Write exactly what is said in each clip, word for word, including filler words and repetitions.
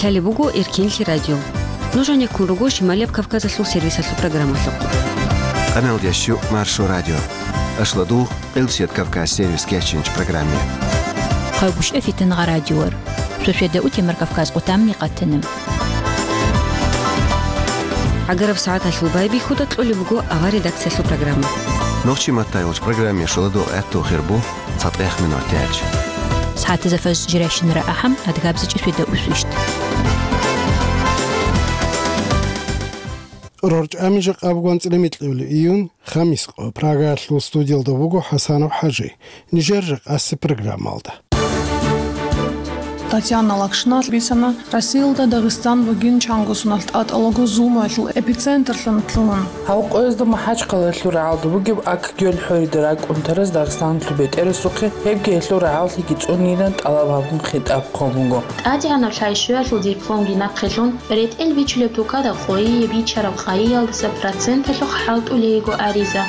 Лъалеб буго Эркинлъи радио. Нуж гьанеккун руго Шималияб Кавказалъул сервисалъул программалъухъ. Къаналдящу Маршо радио. Ашладугъ, Къилбсият Кавказ сервис кечинч программе. Хъагушев Фитангъа радиор. Шошеда утемар Кавказ къутамни къатанам. Агараб сагӀаталъул байбихьуда кьолеб буго авар редакциялъул программа. Нохчи матайулч программе шоладо гӀатту хирбу. ЦатӀех минуталъ. СагӀатазда фажр жирайщинара ахӀам, адгабзичӀи шведа усвищт. РорчӀами жакъа буган цӀилемикьулев июнь, хамис къо, Прагаялъул студиялда буго ХӀасанов ХӀажи. Нижер жакъаси программалда. Татьяна Лакшина бицана, Россиялда Дагъистан бугин чанго соналъ тӀатӀалаго зулмуялъул эпицентрлъун лъугьун. Гьав къоязда МахӀачхъалаялъул рагӀалда бугеб Ак-Гёл хӀорида ракӀунтарас Дагъистаналъул бетӀерасухъе, гьебги гьелъул рагӀаллъиги цӀунилан тӀалаб гьабун хитӀаб хъван буго. ТӀадегӀанаб лъайщуялъул дипломги нахъе лъун, ретӀел бичулеб тукада къойие бичараб къайиялдаса проценталъухъ хӀалтӀулей йиго ариза.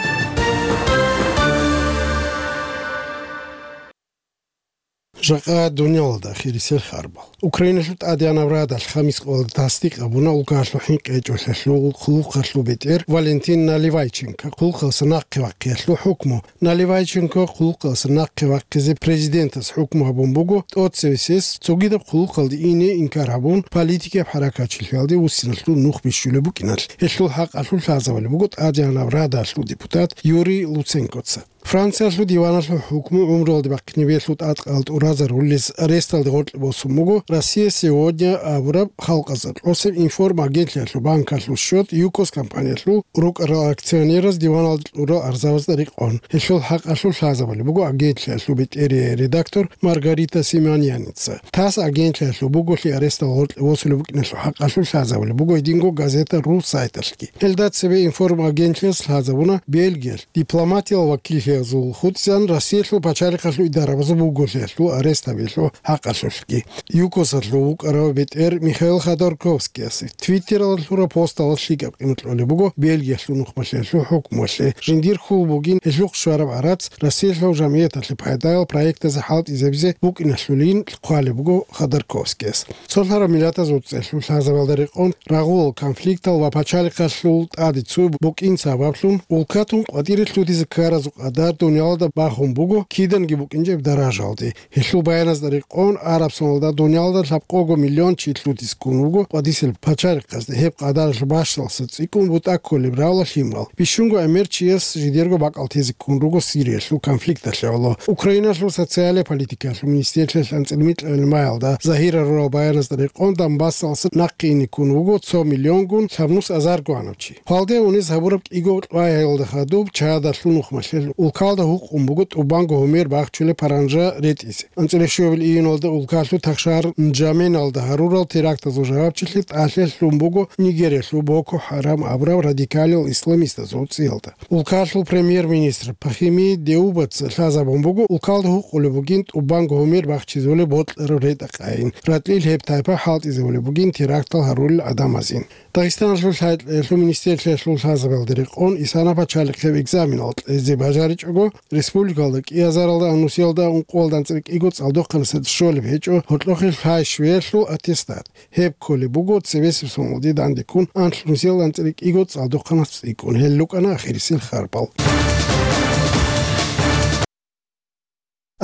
Жакъа дуниялалда хирисел харбал. Украиналъул ТӀадегӀанаб Радалъ хамис къоялда тасдикъ гьабуна улкаялъул хӀинкъи гьечӀолъиялъул хъулухъалъул бетӀер Валентин Наливайченко хъулухъалъа нахъе вахъиялъул хӀукму. Наливайченко хъулухъалъа нахъе вахъизе президентас хӀукму гьабун буго, тӀоцевесес цогидаб хъулухъалде ине инкар гьабун, политикияб хӀаракатчилъиялде вуссиналъул нух бищулеб букӀиналъ. Гьелъул хӀакъалъулъ лъазабулеб буго ТӀадегӀанаб Радалъул депутат Юрий Луценкоца. Франциялъул диваналъул хӀукму гӀумруялде бахъинебиялъул тӀадкъал тӀуразарулез аресталде гъоркье босун буго «Россия сегодня» абураб халкъазда кьосеб информагентлъиялъул банкалъул счет ЮКОС компаниялъул рукӀарал акционераз диваналде кьурал арзабазда рекъон. Гьелъул хӀакъалъулъ лъазабулеб буго агентлъиялъул бетӀерияй редактор Маргарита Симоньяница. ТАСС агентлъиялъул буголъи аресталде гъоркье босулеб букӀиналъул хӀакъалъулъ лъазабулеб буго гьединго газета ру сайталъги. Гьелда цебе информагентлъиялъ лъазабуна Бельгиялъ дипломатиял вакиллъиязул хутӀизан Россиялъул пачалихъалъул идарабазул буголъиялъул арест гьабиялъул хӀакъалъулъги. ЮКОСалъул вукӀарав бетӀер Михаил Ходорковскиясе Твиттералда лъураб посталда лъикӀаб къимат кьолеб буго Бельгиялъул нухмалъиялъул хӀукмуялъе. Жиндир хьул бугин гьелъухъ щвараб гӀарац Россиялъул жамгӀияталъе пайдаял проектазе хӀалтӀизабизе букӀиналъулин хъвалеб буго Ходорковскияс. Цолъараб миллатазул цӀехлъул лъазабалда рекъон рагъул конфликтал ва пачалихъалъул тӀаде цо букӀин сабаблъун улкатун къватӀире лъутизе ккаразул къадар дуниялалда бахун буго киданги букӀинчӀеб даражалде. Гьелъул баяназда рекъон, араб соналда дуниялалда лъабкъого миллион чи лъутизе ккун вуго къватӀисел пачалихъазде, гьеб къадаралъ бащдалъуса цӀикӀкӀун бутӀа кколеб равла лъимал. Бищунго гӀемер чияс жидерго бакӀал тезе ккун руго Сириялъул конфликталъе гӀоло. Украиналъул социалия политикаялъул министрлъиялъ анцӀила микьабилеб маялда загьирал рурал баяназда рекъон Донбассалъуса нахъе ине ккун вуго цо миллионгун лъабнус азарго гьанав чи. Хвалде унез гьабураб кӀиго кьвагӀиялда хадуб Чадалъул нухмалъе улкалда гьукъун буго тӀубанго гьумер бахчулеб паранжа ретӀизе. АнцӀила щуабилеб июналда улкалъул тахшагьар Нжаменалда гьарурал терактазул жавабчилъи тӀалъи лъун буго Нигериялъул Боко Харам абураб радикалиял исламистазул цӀиялда. Улкалъул премьер-министр Пахими Деубаца лъазабун буго, улкалда гьукъулеб бугин тӀубанго гьумер бахчизулеб бокьараб ретӀа-къайин, ратӀлил гьеб тайпа хӀалтӀизабулеб бугин терактал гьарулел гӀадамазин. Дагъистаналъул лъай-кьеялъул министрлъиялъул лъазабалда рекъон исана пачалихъеб экзаменал кьезе бажаричӀого, республикалда кӀиазаралда анлънусиялда ункъоялда анцӀила кӀиго цӀалдохъанасда щолеб гьечӀо гьоркьохъеб лъай щвеялъул аттестат. Гьеб кколеб буго цебесеб соналде дандеккун анлънусиялда анцӀила кӀиго цӀалдохъанас цӀикӀкӀун. Гьел рукӀана ахирисел харбал.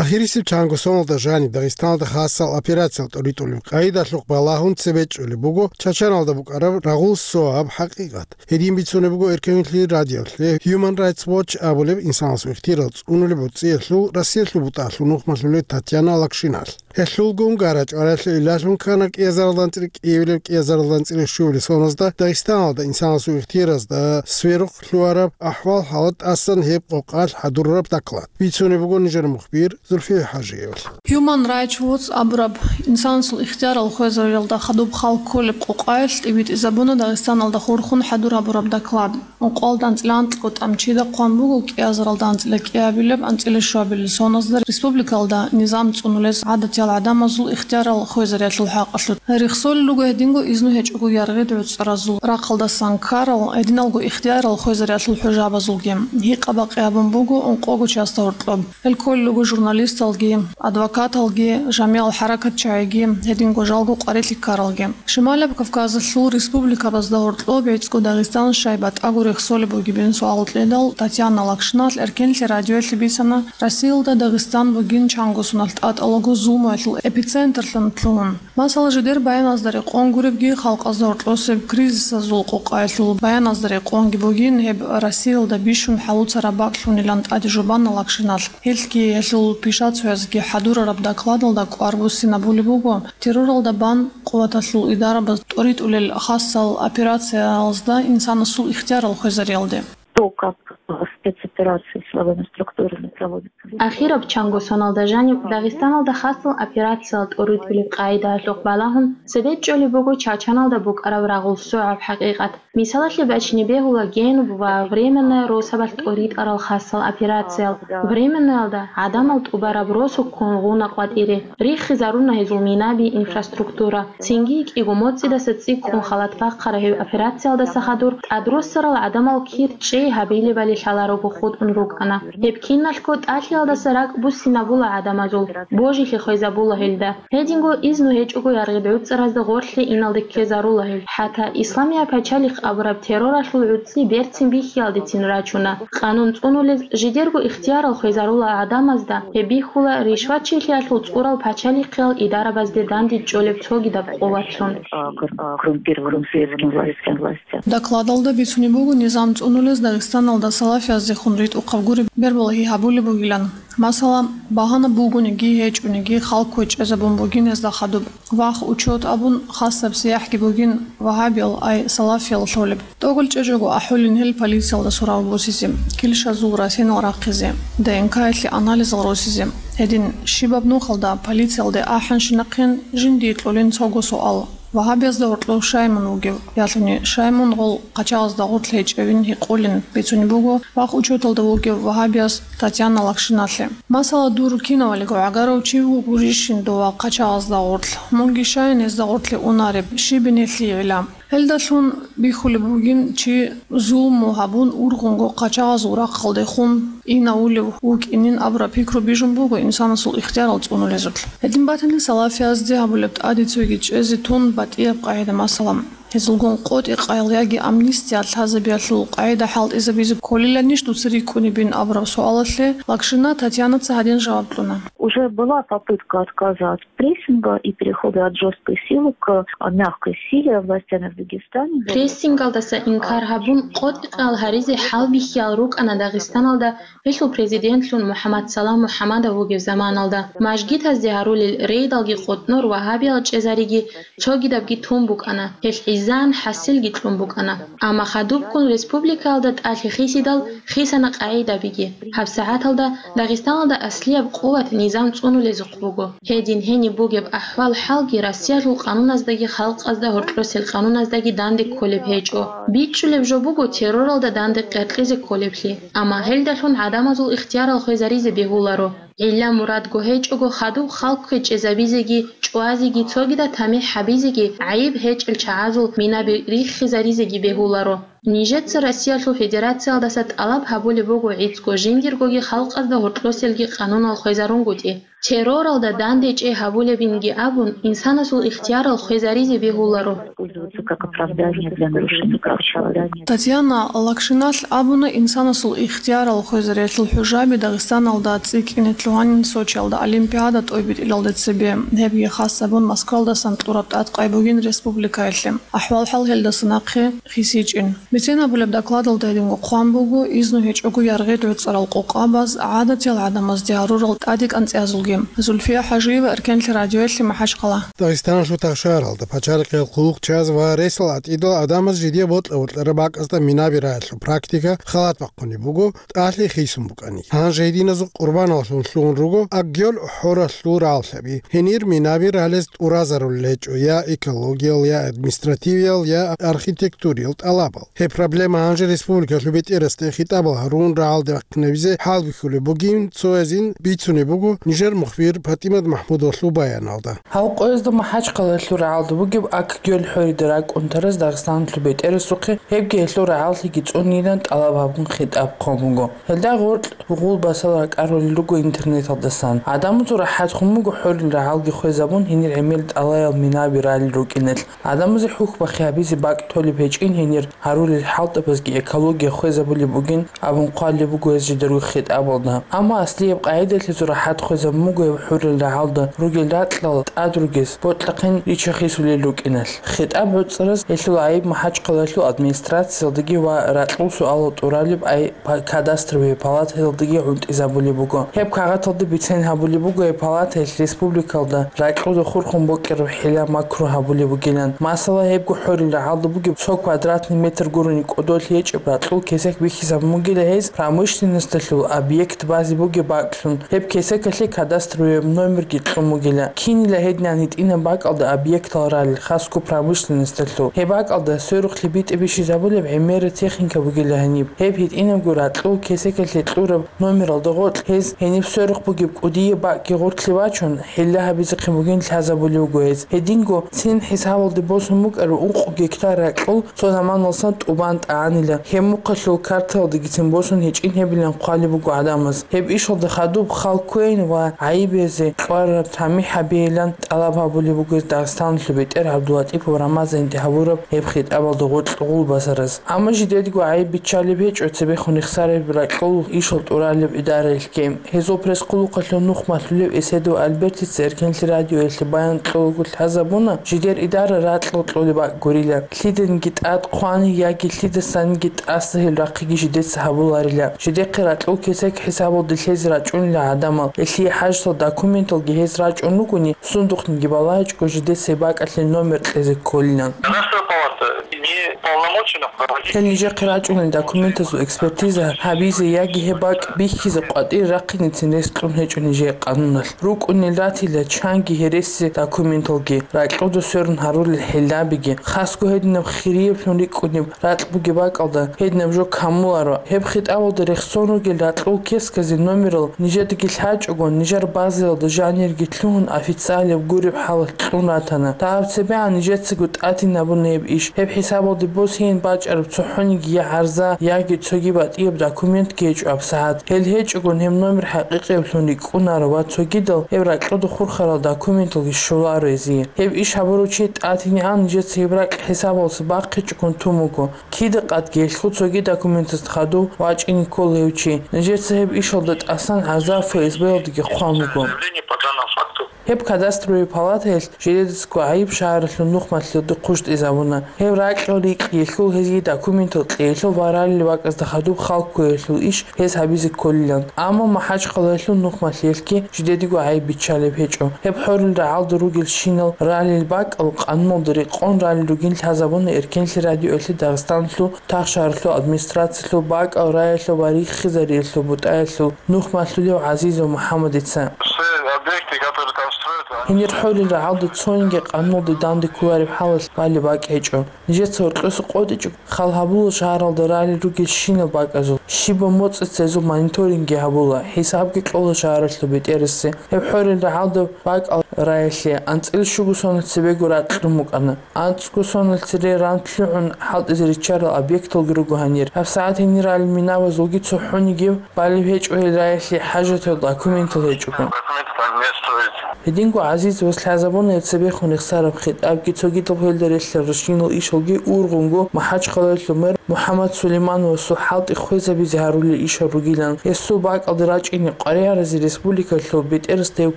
Ахирисеб чанго соналда жаниб Дагъистаналда хасал операциял тӀоритӀулеб къайдалъухъ балагьун цебе чӀолеб буго Чачаналда букӀараб рагъул СОА-аб хӀакъикъат. Гьедин бицунеб буго Эркенлъи радиолъе Human Rights Watch абулеб инсанасул ихтияр цӀунулеб гӀурцӀиялъул Россиялъул бутӀалъул нухмалъулев Татьяна Лакшиналъ. Гьелъулгун гара-чӀваралъе илалъун ккана кӀиазаралда анцӀила кӀиабилеб, кӀиазаралда анцӀила щуабилеб соналда Дагъистаналда инсанасул ихтияразда сверухъ лъугьараб ахӀвал-хӀалат тӀасан гьеб къокъалъ хӀадурараб доклад. Бицунеб буго нижер мухбир Зульфия ХӀажиевалъ. Human Rights Watch абураб инсанасул ихтиярал хвезариялда хадуб хал кколеб къокъаялъ тӀибитӀизабуна Дагъистаналда хурхун хӀадур гьабураб доклад. Ункъоялда анцӀила анкьго тӀамчида хъван буго кӀиазаралда анцӀила кӀиабилеб, анцӀила щуабилеб соназда республикалда низам цӀунулес гӀадатиял гӀадамазул ихтиярал хвезариялъул хӀакъалъулъ. Рехсолел руго гьединго изну гьечӀого яргъи гӀуцӀаразул рахъалдасан ккарал, гьединалго ихтиярал хвезариялъул хӀужабазулги. Гьикъа-бакъи гьабун буго ункъого част гьоркьоб. Гьел кколел руго журналисталги, адвокаталги, жамигӀал хӀаракатчагӀиги, гьединго жалго къварилъи ккаралги. Шималаб Кавказалъул республикабазда гьоркьоб гӀицӀго Дагъистан щай батӀаго рехсолеб бугебин суал кьедал, Татьяна Лакшиналъ эркенлъи радиоялъе бицана, Россиялда Дагъистан бугин чанго соналъ тӀатӀалаго зулмуялъул эпицентрлъун лъугьун. Масала, жидер баяназда рекъон гуребги, халкъазда гьоркьосеб кризисазул къокъаялъул баяназда рекъонги бугин, гьеб Россиялда бищун хӀалуцараб бакӀлъунилан тӀаде жубана Лакшиналъ. Гьелъги гьелъул пишацоязги хӀадурараб докладалда кӀвар буссинабулеб буго, терроралда бан къуваталъул идарабаз тӀоритӀулел хасал операциялазда инсанасул ихтиярал хвезариялде. То, как, э, спецоперации силовыми структурами проводятся. Ахираб чанго соналда жаниб Дагъистаналда хасал операциял тӀоритӀулеб къагӀидаялъухъ балагьун, цебе чӀолеб буго Чачаналда букӀараб рагъул согӀаб хӀакъикъат. Мисалалъе бачине бегьула Генуб ва Временная росабалъ тӀоритӀарал хасал операциял. Временноялда гӀадамал тӀубараб росуккун гъуна къватӀире, риххизаруна гьезул минаби, инфраструктура, цинги кӀиго моцӀидаса цӀиккун халат бахъараб гьеб операциялдаса хадур тӀадруссарал гӀадамал кир чӀей гьабилебали лъаларого хутӀун рукӀана. Гьеб киналъго тӀалъиялдаса ракӀ буссинабула гӀадамазул, божилъи хвезабула гьелда. Гьединго изну гьечӀого яргъи гӀуцӀаразда гъорлъе иналде ккезарула гьел. ХӀатта Исламияб пачалихъ абураб терроралъул гӀуцӀи берцин бихьиялдецин рачуна. Къанун цӀунулез жидерго ихтиярал хвезарула гӀадамазда, гьеб бихьула ришватчилъиялъул цӀурал пачалихъиял идарабазде дандечӀолеб цогидаб къуватлъун. А, кор-, а, коррумпированным светским властям. Докладалда бицунеб буго низам цӀунулез Дагъистаналда салафияздехун ритӀухъаб гуреб бербалагьи гьабулеб бугилан. Масала, багьана бугониги гьечӀониги, халкъ кквечӀезабун бугин гьезда хадуб. Вахъ учёт абун, хасаб сияхӀги бугин вагьабиял, ай салафиял лъолеб. ТӀокӀал чӀечӀого ахӀулин гьел полициялда сурав босизе, килщазул расинал рахъизе, ДНК-ялъе анализал росизе. Гьедин щибаб нухалда полициялде ахӀанщинахъин жиндие кьолин цого суал: вагьабиязда гьоркьов щай мун вугев, ялъуни щай мун гъол къачагъазда гъорлъ гьечӀевин гьикъулин бицунеб буго вахъ учёталда вугев вагьабияс Татьяна Лакшиналъе. Масала, дур кинавалиго гӀагарав чи вугурищин дова къачагъазда гъорлъ? Мунги щайин гьезда гъорлъе унареб, щибин гьелъие гӀилла? Гьелдалъун бихьулеб бугин, чи зулму гьабун ургъунго къачагъазул рахъалдехун инавулев вукӀинин абураб пикру бижун буго инсанасул ихтиярал цӀунулезулъ. Гьедин батани, салафиязде гьабулеб тӀаде цоги чӀезе тун батӀияб къагӀида, масала, гьезулгун къотӀи-къаял яги амнистия лъазабиялъул къагӀида хӀалтӀизабизе кколиланищ дуца рикӀкӀунебин абураб суалалъе Лакшина Татьянаца гьадин жаваб кьуна. Уже была попытка отказа от прессинга и перехода от жёсткой силы к, а, мягкой силе властями в Дагестане. Прессингалдаса инкар гьабун, къотӀи-къаял гьаризе хӀалбихьиял рукӀана Дагъистаналда гьелъул президентлъун МухӀаммадсалам МухӀаммадов вугев заманалда. Мажгитазде гьарулел рейдалги къотӀнор вагьабиял чӀезариги цогидабги тун букӀана, гьелъ гӀиззан хӀасилги кьун букӀана. Амма хадубккун республикаялда тӀалъи хисидал хисана къагӀидабиги. ГьабсагӀаталда Дагъистаналда аслияб къуват низам цӀунулезухъ буго. Гьедин гьениб бугеб ахӀвал-хӀалги Россиялъул къануназдаги халкъазда гьоркьосел къануназдаги данде кколеб гьечӀо. БичӀчӀулеб жо буго терроралда данде къеркьизе кколеблъи, амма гьелдалъун гӀадамазул ихтиярал хвезаризе бегьуларо. ГӀилла-мурадго гьечӀого хадуб халкъ кквечӀезабизеги, чӀвазеги, цогидаб тамихӀ гьабизеги, гӀайиб гьечӀел чагӀазул минаби риххизаризеги бегьуларо. Нижеца Россиялъул Федерациялдаса тӀалаб гьабулеб буго гӀицӀго жиндиргоги халкъазда гьоркьоселги къанунал хвезарунгутӀи. Терроралда данде чӀей гьабулебинги абун, инсанасул ихтиярал хвезаризе бегьуларо. Пользоваться как оправдание для нарушения прав человека. Татьяна Лакшиналъ абуна, инсанасул ихтиярал хвезариялъул хӀужаби Дагъистаналда цӀикӀкӀине лъугьанин Сочиялда Олимпиада тӀобитӀилалде цебе, гьебги хас гьабун Москвалдасан тӀураб тӀадкъай бугин республикаялъе. АхӀвал-хӀал гьелдаса нахъе хисичӀин. Бицен абулеб докладалда гьединго хъван буго изну гьечӀого яргъи гӀуцӀарал къокъабаз, гӀадатиял гӀадамазде гьарурал тӀаде кӀанцӀиязулги. Зульфия ХӀажиева, Эркенлъи радиоялъе, МахӀачхъала. Дагъистаналъул тахшаралда пачалихъиял хъулухъчияз ва ресал гӀатӀидал гӀадамаз жидее бокьа-бокьараб бакӀазда минаби рагӀалъул практика халат бахъунеб буго, тӀалъи хисун букӀани. Гьанже гьединазул къурбаналлъун лъугьун руго Аггьёл хӀоралъул рагӀалъаби. Гьенир минаби ралез тӀуразарулел гьечӀо я экологиял, я административиял, я архитектуриял тӀалабал. Гьеб проблема гьанже республикалъул бетӀерасде хитӀабал гьарун рагӀалде вахъинабизе хӀалбихьулеб бугин цоязин бицунеб буго нижер мухбир ПатӀимат МахӀмудовалъул баяналда. Гьал къоязда МахӀачхъалаялъул рагӀалда бугеб Ак-Гёл хӀорида ракӀунтарас Дагъистаналъул бетӀерасухъе гьебги гьелъул рагӀаллъиги цӀунилан тӀалаб гьабун хитӀаб хъван буго. Гьелда гъоркь гъулбасал ракӀарулел руго интернеталдасан. Гьадамазул рахӀат хун буго хӀорил рагӀалги хвезабун гьенир гӀемер тӀалаял минаби ралел рукӀиналъ. Гьадамазе хӀухьбахъи гьабизе бакӀ толеб гьечӀин гьенир гьарулел хӀалтӀабазги экология хвезабулеб бугин абун хъвалеб буго гьез жидерго хитӀабалда. Амма аслияб къагӀидалъе зурахӀат хвезабун буго гьеб хӀорил рагӀалда ругел ракьал тӀад ругез бокьахъин риччахисулел рукӀиналъ. ХитӀаб гӀуцӀарас гьелъул гӀайиб МахӀачхъалаялъул администрациялдаги ва ракьул суалал тӀуралеб гӀай-, па-, кадастровый палатаялдаги гӀунтӀизабулеб буго. Гьеб кагъаталда бицен гьабулеб буго гьеб палатаялъ республикалда ракьуда хурхун бокьараб хӀила-макру гьабулеб бугилан. Масала, гьебго хӀорил рагӀалда бугеб цо квадратный метр гурони кӀодолъи гьечӀеб ракьул кесек бихьизабун бугила гьез промышленносталъул объект базе бугеб бакӀлъун. Гьеб кесекалъе кадастровый номерги кьун бугила. Кинила гьединан гьитӀинаб бакӀалда объектал ралел, хасго промышленносталъул. Гьеб бакӀалда сверухълъи битӀи бищизабулеб гӀемераб техника бугила гьаниб. Гьеб гьитӀинабго ракьул кесекалъе кьураб номералда гъоркь гьез гьениб сверухъ бугеб кӀудияб бакӀги гъоркьлъи бачун, хӀилла гьабизехъин бугин лъазабулеб буго гьез. Гьединго цин хӀисабалде босун букӀараб ункъо гектар ракьул цо заманалсан тӀубан тӀагӀанила, гьеб мухъалъул картаялдагицин босун гьечӀин гьебилан хъвалеб буго гӀадамаз. Гьеб ишалда хадуб хал кквейин ва гӀайиб гьезе кьвараб тамихӀ гьабейилан тӀалаб гьабулеб буго Дагъистаналъул бетӀер ГӀабдуллатӀипов Рамазанде гьабураб гьеб хитӀабалда гъоркь гъулбасараз. Амма жидедго гӀайиб биччалеб гьечӀо цебехун рехсараб ракьул ишал тӀуралеб идараялъги. Гьезул пресс-хъулухъалъул нух малъулев Эседов Альбертица Эркенлъи радиоялъе баян кьолаго лъазабуна, жидер идара ракьал кьолеб бакӀ гурила. Лъиданиги тӀад хъвани яги лъидасаниги тӀаса гьел рахъиги жидеца гьабуларила. Жидехъе ракьул кесек хӀисабалде лъезе рачӀунила гӀадамал. Гьелъие хӀажатал документалги гьез рачӀун ругони, сундухъниги балагьичӀого жидеца гьеб бакӀалъе номер кьезе кколилан. Гражданская палата не уполномочена проводить. Гьел нижехъе рачӀунел документазул экспертиза гьабизе яги гьеб бакӀ бихьизе къватӀире рахъинецин рес кьун гьечӀо нижее къануналъ. РукӀунел ратила чанги гьереси документалги, ракьуда сверун гьарулел хӀилабиги, хасго гьединаб хирияблъун рикӀкӀунеб ракь бугеб бакӀалда гьединаб жо камуларо. Гьеб хитӀабалда рехсон ругел ракьул кесказе номерал нижедаги лъачӀого, нижер базаялда жанирги лъугьун официалияб гуреб хӀалалъ кьун ратана. Дагьаб цебегӀан нижецаго тӀадин абуна гьеб иш. Гьеб хӀисабалде босейин бачӀараб цохӀониги я гӀарза, яги цоги батӀияб документги гьечӀо гьабсагӀат. Гьел гьечӀогон гьеб номер хӀакъикъиблъун рикӀкӀунаро ва цогидал гьеб ракьуда хурхарал документалги щоларо гьезие. Гьеб иш гьабурав чи тӀадинегӀан нижеца гьеб ракь хӀисабалъуса бахъичӀогон тун буго. Кида-къадги гьелъул цоги документазда хадув вачӀине ккола гьев чи. Нижеца гьеб ишалда тӀасан гӀарза ФСБ-ялдаги хъван буго. Заявление по данному факту. Гьеб кадастровый палатаялъ жидедацго гӀайиб шагьаралъул нух малъиялде хъущтӀизабуна. Гьеб ракьал рикӀкӀиялъул, гьезие документал кьеялъул ва ралел бакӀазда хадуб хал кквеялъул иш гьез гьабизе кколилан. Амма МахӀачхъалаялъул нух малъиялъги жидедего гӀайиб биччалеб гьечӀо. Гьеб хӀорил рагӀалда ругелщинал ралел бакӀал къануналда рекъон ралел ругин лъазабуна Эркенлъи радиоялъе Дагъистаналъул тахшагьаралъул администрациялъул бакӀал раялъул ва риххизариялъул бутӀаялъул нух малъулев ГӀазизов МухӀаммадица. Все объекты, которые там строят, они... Гьенир хӀорил рагӀалда цониги къануналде данде кколареб хӀалалъ балеб бакӀ гьечӀо. Нижеца гьоркьоса къотӀичӀого хал гьабула шагьаралда ралел ругелщинал бакӀазул, щибаб моцӀица гьезул мониторингги гьабула, хӀисабги кьола шагьаралъул бетӀерасе. Гьеб хӀорил рагӀалда бакӀал раялъе анцӀила щуго сонал цебего ракь рун букӀана. АнцӀго сонал цере ран лъугӀун хӀалтӀизе риччарал объекталги руго гьанир. ГьабсагӀат гьенир ралел минабазулги цохӀонигев балеб гьечӀо гьел раялъе хӀажатал документал гьечӀого. Документы там не строятся. Гьединго ГӀазизовас лъазабуна гьеб цебехун рехсараб хитӀабги, цогидаб гьелда релълъарал щинал ишалги ургъунго МахӀачхъалаялъул мэр МухӀаммад Сулеймановасул хӀалтӀи хвезабизе гьарулел ишал ругилан. Гьесул бакӀалде рачӀине къваригӀаразе республикалъул бетӀерасда гьев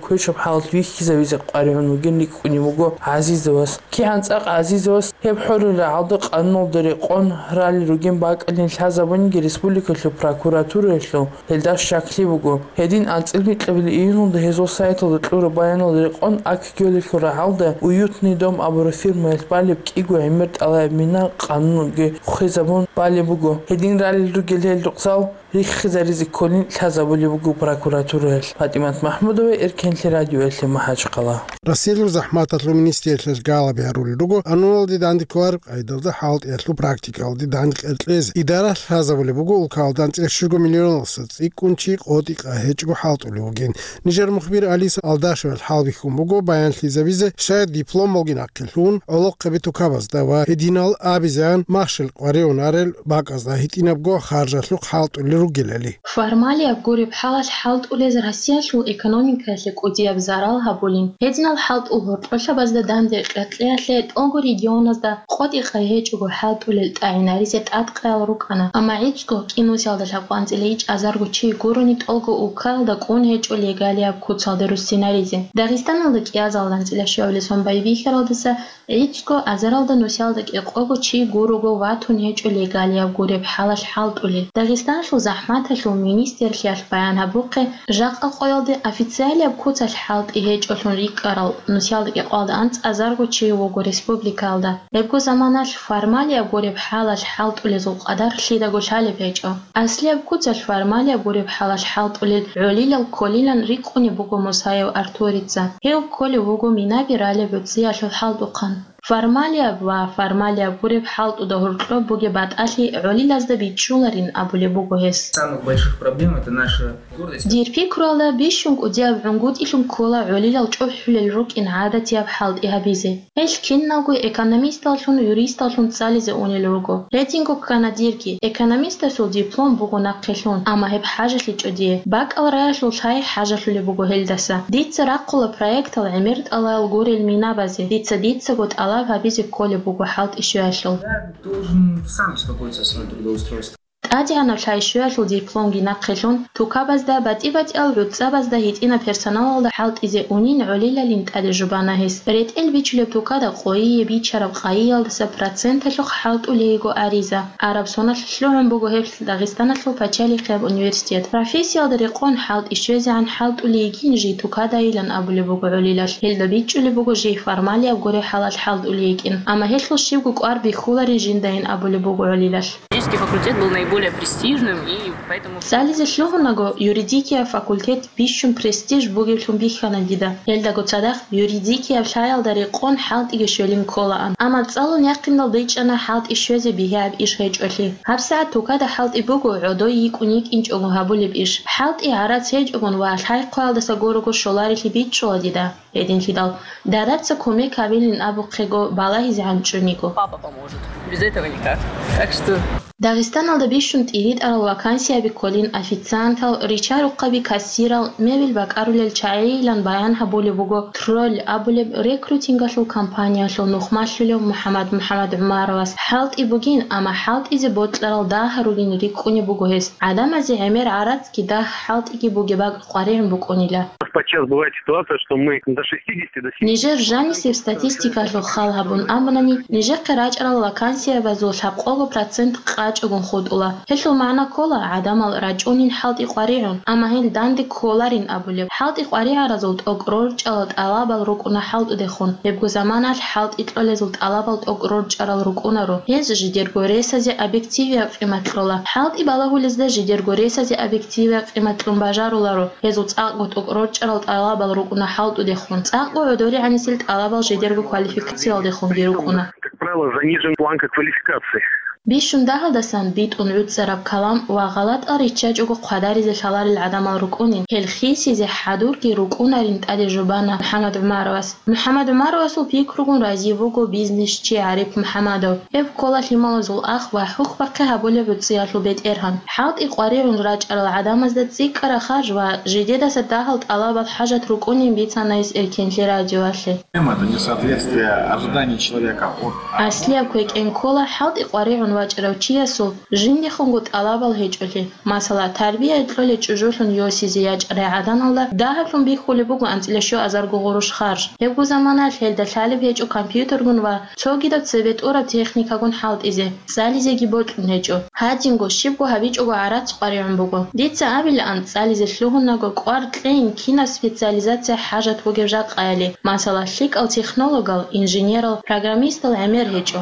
квешаб хӀалалъ вихьизабизе къваригӀун вугин рикӀкӀунев вуго ГӀазизовас. КигӀан цӀакъ ГӀазизовас гьеб хӀорил рагӀалда къануналда рекъон ралел ругин бакӀалин лъазабуниги республикалъул прокуратураялъул гьелда щаклъи буго. Гьедин анцӀила микьабилеб июньалда гьезул сайталда кьураб баяналда рекъон Ак-Гёлалъул рагӀалда «Уютный дом» абураб фирмаялъ балеб кӀиго гӀемер тӀалаяб мина къануналги хвезабун балеб буго. Гьедин ралел ругел гьел рукъзал риххизаризе кколин лъазабулеб буго прокуратураялъ. ПатӀимат МахӀмудова, Эркенлъи радиоялъе, МахӀачхъала. Россиялъул захӀматалъул министрлъиялъ галаби гьарулел руго, ануналде данде кколареб къайдалда хӀалтӀиялъул практикалде данде кьезе. Идара лъазабулеб буго улкалда анцӀила щуго миллионалдаса цӀикӀкӀун чи къотӀи-къай гьечӀого хӀалтӀулев вугин. Нижер мухбир Алиса Алдашевал хӀалбихьун буго баянлъизабизе, щай дипломалги нахъе лъун, гӀолохъаби тукабазда ва гьединал абизегӀан махщел къваригӀун арел бакӀазда гьитӀинабго харжалъухъ хӀалтӀулел ругелали. Формалияб гуреб хӀалалъ хӀалтӀулез Россиялъул экономикаялъе кӀудияб зарал гьабулин. Гьединал хӀалтӀул гьоркьолъабазда данде кьекьеялъе тӀолго регионазда къотӀи-къай гьечӀого хӀалтӀулел тӀагӀинаризе тӀадкъаял рукӀана, амма гӀицӀго кӀинусиялда лъабкъоялда анцӀила ичӀазарго чи гурони тӀолго улкаялда кӀун гьечӀо легалияб куцалде руссинаризе. Дагъистаналда кӀиазалда анцӀила щуабилеб сон байбихьаралдаса гӀицӀго азаралда нусиялда кӀикъого чи гурого ватун гьечӀо легалияб гуреб хӀалалъ хӀалтӀулел. Дагъистаналъул захӀматалъул министрлъиялъ баян гьабухъе, жакъа къоялде официалияб куцалъ хӀалтӀи гьечӀолъун рикӀкӀарал нусиялда кӀикъоялда анцӀазарго чи вуго республикаялда. Гьебго заманалъ формалияб гуреб хӀалалъ хӀалтӀулезул къадар лъидаго лъалеб гьечӀо. Аслияб куцалъ формалияб гуреб хӀалалъ хӀалтӀулел гӀолилал кколилан рикӀкӀунеб буго Мусаев Артурица. Гьев кколев вуго минаби ралеб гӀуцӀиялъул хӀалтӀухъан. Формалияб ва формалияб гуреб хӀалтӀуда гьоркьоб бугеб батӀалъи гӀолилазда бичӀчӀуларин абулеб буго гьес. Самых больших проблем — это наша гордость. Дир пикруялда, бищун кӀудияб гӀунгутӀилъун ккола гӀолилал чӀухӀулел рукӀин гӀадатияб хӀалтӀи гьабизе. Гьелъ киналго экономисталлъун, юристаллъун цӀализе унел руго. Гьединго ккана дирги. Экономистасул диплом буго нахъе лъун, амма гьеб хӀажалъичӀо дие. БакӀал раялъул лъай хӀажалъулеб буго гьелдаса. Дица рахъула проектал гӀемер тӀалабал гурел минабазе. Дица дицаго тӀалаб гьабизе кколеб буго хӀалтӀи щвеялъул. Я должен сам беспокоиться о своём трудоустройстве. ТӀадегӀанаб лъай щвеялъул дипломги нахъе лъун, тукабазда, батӀи-батӀиял гӀуцӀабазда гьитӀинаб персоналалда хӀалтӀизе унин гӀолилалин тӀаде жубана гьес. РетӀел бичулеб тукада къойие бичараб къайиялдаса проценталъухъ хӀалтӀулей йиго ариза. Араб соналъ лъугӀун буго гьеб Дагъистаналъул пачалихъияб университет. Профессиялда рекъон хӀалтӀи щвезегӀан хӀалтӀулей йигин жий тукадайилан абулеб буго гӀолилалъ. Гьелда бичӀчӀулеб буго жий формалияб гуреб хӀалалъ хӀалтӀулей йикӀин, амма гьелъул щибго кӀвар бихьуларин жиндаин абулеб буго гӀолилалъ. Юридический факультет был наиболее престижным, и поэтому... ЦӀализе лъугьунаго, юридикияб факультет бищун престиж бугевлъун бихьана дида. Гьелдаго цадахъ юридикияб лъаялда рекъон хӀалтӀиги щвелин кколаан. Амма цӀалун якъиндал дайчӀана хӀалтӀи щвезе бигьаяб иш гьечӀолъи. ГьабсагӀат тукада хӀалтӀи буго гӀодой йикӀун йикӀинчӀого гьабулеб иш. ХӀалтӀи гӀарац гьечӀогун ва лъай-хъваялдаса гурого щоларилъи бичӀчӀула дида. Гьединлъидал, дадабца кумек гьабилин абухъего балагьизегӀан чӀун йиго. Папа поможет. Без этого никак. Так что... Дагъистаналда бищун тӀиритӀарал вакансияби кколин официантал, ричарухъаби кассирал, мебель бакӀарулел чагӀийилан баян гьабулеб буго Тролль абулеб рекрутингалъул компаниялъул нухмалъулев МухӀаммад МухӀаммадгӀумаровас. ХӀалтӀи бугин, амма хӀалтӀизе бокьарал дагьа ругин рикӀкӀунеб буго гьес. ГӀадамазе гӀемер гӀарацги дагь хӀалтӀиги бугеб бакӀ къваригӀун букӀунила. У нас подчас бывает ситуация, что мы до шестидесяти, до семидесяти... Нижер жанисеб статистикалъухъ хал гьабун абунани, нижехъе рачӀарал вакансиябазул лъабкъого процент къачӀогун хутӀула. Гьелъул магӀна ккола, гӀадамал рачӀунин хӀалтӀи къваригӀун, амма гьел данде кколарин абулеб. ХӀалтӀи къваригӀаразул тӀокӀ рорчӀарал тӀалабал рукӀуна хӀалтӀудехун. Гьебго заманалъ хӀалтӀи кьолезул тӀалабал тӀокӀ рорчӀарал рукӀунаро. Гьез жидерго ресазе объективияб къимат кьола. ХӀалтӀи балагьулезда жидерго ресазе объективияб къимат кьун бажаруларо. Гьезул цӀакъго тӀокӀ рорчӀарал тӀалабал рукӀуна хӀалтӀудехун. ЦӀакъго гӀодоригӀанисел тӀалабал жидерго квалификациялдехунги рукӀуна. Как правило, занижен планка квалификации. Бищун дагьалдасан битӀун гӀуцӀараб калам ва гъалатӀал риччачӀого хъвадаризе лъаларел гӀадамал рукӀунин, гьел хисизе хӀадурги рукӀунарин тӀаде жубана МухӀаммад ГӀумаровас. МухӀаммад ГӀумаровасул пикругун рази вуго бизнесчи ГӀариф МухӀаммадов. Гьев ккола лъималазул ах ва хӀухьбахъи гьабулеб гӀуцӀиялъул бетӀергьан. ХӀалтӀи къваригӀун рачӀарал гӀадамазда цӀикӀкӀараб харж ва жидедаса дагьал тӀалабал хӀажат рукӀунин бицана гьес Эркенлъи радиоялъе. Проблема — это несоответствие ожиданий человека от... Аслияб квекӀен ккола хӀалтӀи къваригӀун вачӀарав чиясул жиндихунго тӀалабал гьечӀолъи. Масала, тарбия кьолей чӀужулъун йосизе ячӀарай гӀаданалда дагьаблъун бихьулеб буго анцӀила щуазарго гъурущ харж. Гьебго заманалъ гьелда лъалеб гьечӀо компьютергун ва цогидаб цебе тӀураб техникагун хӀалтӀизе, цӀализеги бокьун гьечӀо. Гьадинго, щибго гьабичӀого гӀарац къваригӀун буго. Дица абилаан, цӀализе лъугьунаго кӀвар кьейин кинаб специализация хӀажат бугеб жакъаяли, масала, лъикӀал технологал, инженерал, программистал гӀемер гьечӀо.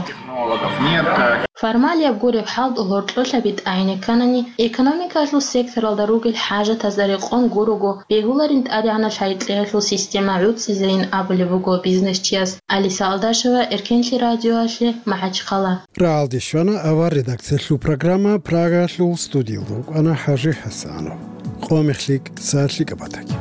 Формалияб гуреб хӀалтӀу гьоркьолъаби тӀагӀине кканани, экономикалъул секторалда ругел хӀажатазда рекъон гурого бегьуларин тӀадегӀанаб лъайкьиялъул система гӀуцӀизейин абулеб буго бизнесчияс. Алиса Алдашева, Эркенлъи радиоялъе, МахӀачхъала. РагӀалде щвана авар редакциялъул программа, Прагаялъул студиялда рукӀана ХӀажи ХӀасанов. Къо мехлъи, са лъикӀаб батаги.